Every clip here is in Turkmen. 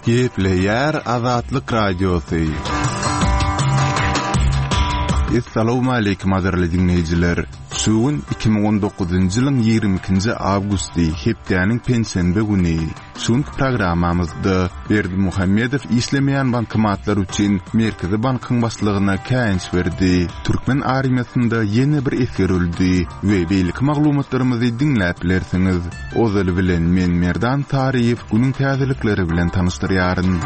Gepleýär Azatlyk Radiosy. Essalawmaleýkim gadyrly diňleýjiler! Şu gün 2019-njy ýylyň 22-nji awgusty, hepdäniň penşenbe güni. Şu günki programmamyzda Berdimuhamedow işlemeýän bankomatlar üçin Merkezi bankyň başlygyna käýinç berdi, türkmen armiýasynda ýene bir esger öldi we beýleki maglumatlarymyzy diňläp bilersiňiz. Ozaly bilen men Merdan Saryýew günüň täzelikleri bilen tanyşdyrýaryn.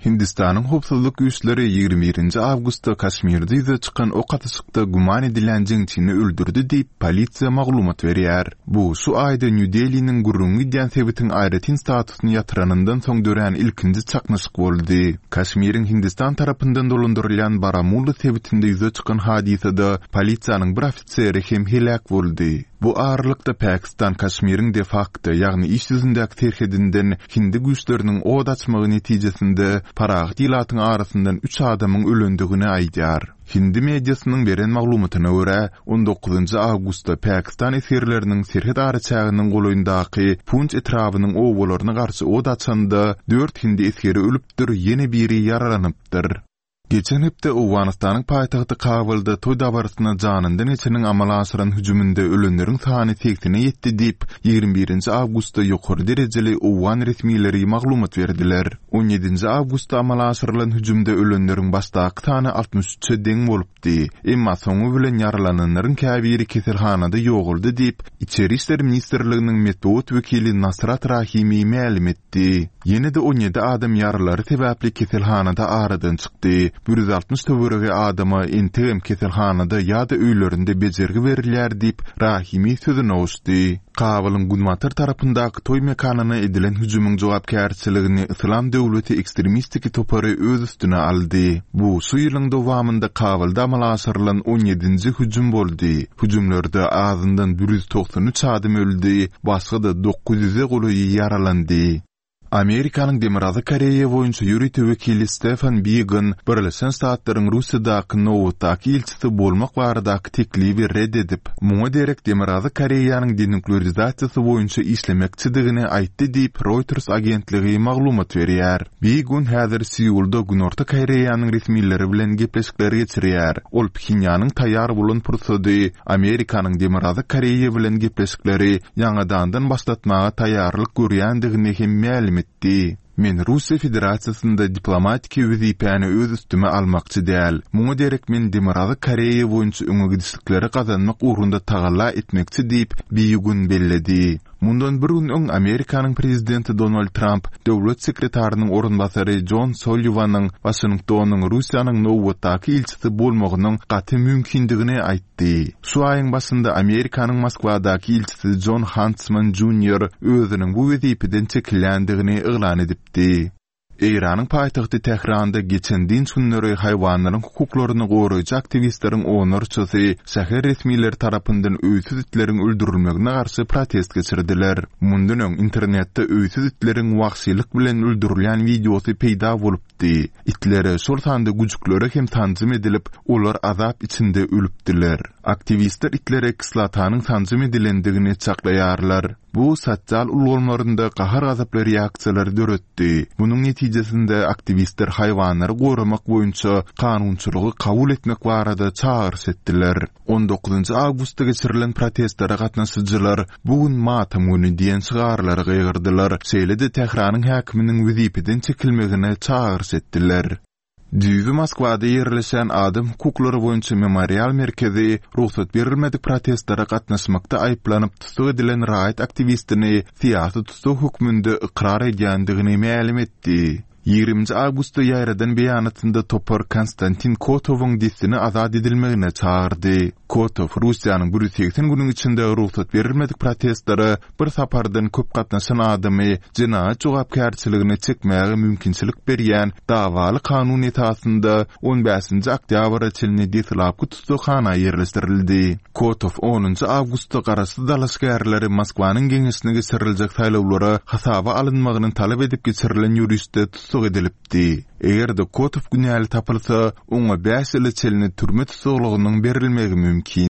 Hindistanyň howpsuzlyk güýçleri 21-nji awgustda Kaşmirde ýüze çykan ok atyşykda güman edilýän jeňçini öldürdi diýip, polisiýa maglumat berýär. Bu şu aýda Nýu-Deliniň gürrüňi gidýän sebitiň aýratyn statusyny ýatyranyndan soň dörän ilkinji çaknyşyk boldy. Kaşmiriň Hindistan tarapyndan dolandyrylýan Baramulla sebitinde ýüze çykan hadysada polisiýanyň bir ofiseri hem heläk boldy. Bu aralykda Pakistan Kaşmiriň de-fakto, ýagny iş ýüzündäki serhedinden hindi güýçleriniň od açmagy netijesinde parahat ilatyň arasyndan üç adamyň ölendigini aýdýar. Hindi mediasynyň beren maglumatyna görä, on dokuzynjy awgustda pakistan esgerleriniň serhet araçäginiň golaýyndaky Punç etrabynyň obalaryna garşy od açanda dört hindi esgeri ölüpdir, ýene biri ýaralanypdyr. Geçen hepde Owganystanyň paýtagty Kabulda toý dabarasyna janyndan geçeniň amala aşyran hüjüminde ölenleriň sany segsene ýetdi diýip, 21 nji awgustda ýokary derejeli owgan resmileri maglumat berdiler. On ýedinji awgustda amala aşyrylan hüjümde ölenleriň başdaky sany 63-e deň bolupdy, emma soňy bilen ýaralananlaryň käbiri keselhanada ýogaldy diýip, Içeri işler ministrliginiň metbugat wekili Nasrat Rahimi mälim etdi. Ýene-de 17 adam ýaralary sebäpli keselhanada aradan çykdy. 160 töweregi adama entegem keselhanada ýa-da öýlerinde bejergi berilýär diýip, Rahimi sözüne goşdy. Kabulyň günbatar tarapyndaky toý mekanyna edilen hüjümiň jogapkärçiligini Yslam döwleti ekstremistiki topary öz üstüne aldy. Bu şu ýylyň dowamynda Kabulda amala aşyrylan on ýedinji hüjüm boldy. Hüjümlerde azyndan 193 adam öldi, başga-da 900-e golaýy ýaralandy. Amerikanyň Demirgazyk Koreýa boýunça ýörite wekili Stefan Bigan Birleşen Ştatlaryň Russiýadaky nobatdaky ilçisi bolmak baradaky teklibi ret edip, muňa derek Demirgazyk Koreýanyň denuklearizasiýasy boýunça işlemekçidigini aýtdy diýip, Reuters agentligi maglumat berýär. Bigun häzir Seulda Günorta Koreýanyň resmileri bilen gepleşikleri geçirýär. Ol Phenýanyň taýýar bolan pursady Amerikanyň Demirgazyk Koreýa bilen gepleşikleri ýaňadandan başlatmaga taýýarlyk görýändigini hem mälim etdi. Men Russiýa Federasiýasynda diplomatiki wezipäni öz üstüme almakçy däl. Muňa derek men Demirgazyk Koreýa boýunça öňe gidişlikleri gazanmak ugrunda tagalla etmekçi diýip, Bigun belledi. Mundan bir gün öň Amerikanyň prezidenti Donald Tramp döwlet sekretarynyň orunbasary Jon Solliwanyň Waşingtonyň Russiýanyň nobatdaky ilçisi bolmagynyň gaty mümkindigini aýtdy. Şu aýyň başynda Amerikanyň Moskwadaky ilçisi Jon Hantsman Junior özüniň bu wezipeden çekilýändigini yglan edipdi. Eýranyň paýtagty Tähranda geçen dynç günleri haýwanlaryň hukuklaryny goraýjy aktiwistleriň onlarçasy şäher resmileri tarapyndan öýsüz itleriň öldürilmegine garşy protest geçirdiler. Mundan öň internetde öýsüz itleriň wagşylyk bilen öldürilýän wideosy peýda bolupdy. Itlere, şol sanda güjüklere hem sanjym edilip, olar azap içinde ölüpdiler. Aktiwistler itlere kislotanyň sanjym edilendigini çaklaýarlar. Bu sosial ulgamlarynda gahar-gazaply reaksiýalary döretdi. Munuň netijesinde aktiwistler haýwanlary goramak boýunça kanunçylygy kabul etmek barada çagyryş etdiler. On dokuzynjy awgustda geçirilen protestlere gatnaşyjylar Bu gün matam güni diýen şygarlary gygyrdylar, şeýle-de Tähranyň häkiminiň wezipeden çekilmegine çagyryş etdiler. Düýbi Moskwada ýerleşýän Adam hukuklary boýunça Memorial merkezi rugsat berilmedik protestlere gatnaşmakda aýyplanyp tussag edilen raýat aktiwistini syýasy tussag hökmünde ykrar edýändigini mälim etdi. Ýigriminji awgustda ýaýradan beýanatynda topar Konstantin Kotowyň dessine azat edilmegine çagyrdy. Kotow Russiýanyň 180 günüň içinde rugsat berilmedik protestlere bir sapardan köp gatnaşan adamy jenaýat jogapkärçiligine çekmäge mümkinçilik berýän dawaly kanun esasynda on bäşinji oktýabra çenli deslapky tussaghana ýerleşdirildi. Kotow onunjy awgustda garaşsyz dalaşgärleri Moskwanyň geňeşine geçiriljek saýlawlara hasaba alynmagyny talap edip geçirilen ýörişde tussag edilipdi. Eger-de Kotow günäli tapylsa, oňa bäş ýyla çenli türme tussaglygynyň berilmegi mümkin.